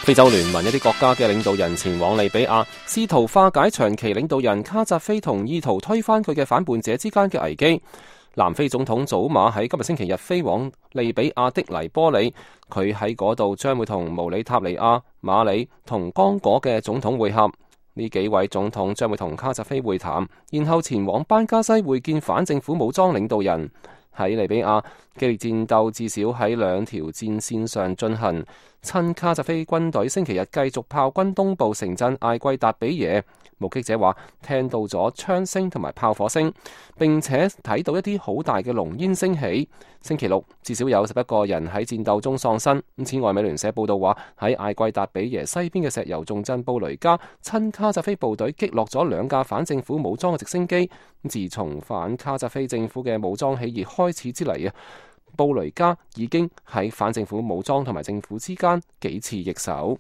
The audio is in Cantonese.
非洲聯盟一啲國家嘅領導人前往利比亞，試圖化解長期領導人卡扎菲同意圖推翻佢嘅反叛者之間嘅危機。南非總統祖馬喺今日星期日飛往利比亞的黎波里，佢喺嗰度將會同毛里塔尼亞、馬里同剛果嘅總統會合。呢幾位總統將會同卡扎菲會談，然後前往班加西會見反政府武裝領導人。喺利比亞，激烈戰鬥至少喺兩條戰線上進行。親卡扎菲軍隊星期日繼續炮轟東部城鎮艾季達比耶。目擊者話聽到咗槍聲同埋炮火聲，並且睇到一啲好大嘅濃煙升起。星期六至少有11個人喺戰鬥中喪生。此外，美聯社報道話喺艾季達比耶西邊嘅石油重鎮布雷加，親卡扎菲部隊擊落咗2架反政府武裝嘅直升機。自從反卡扎菲政府嘅武裝起義開始之嚟，布雷加已經喺反政府武裝同埋政府之間幾次易手。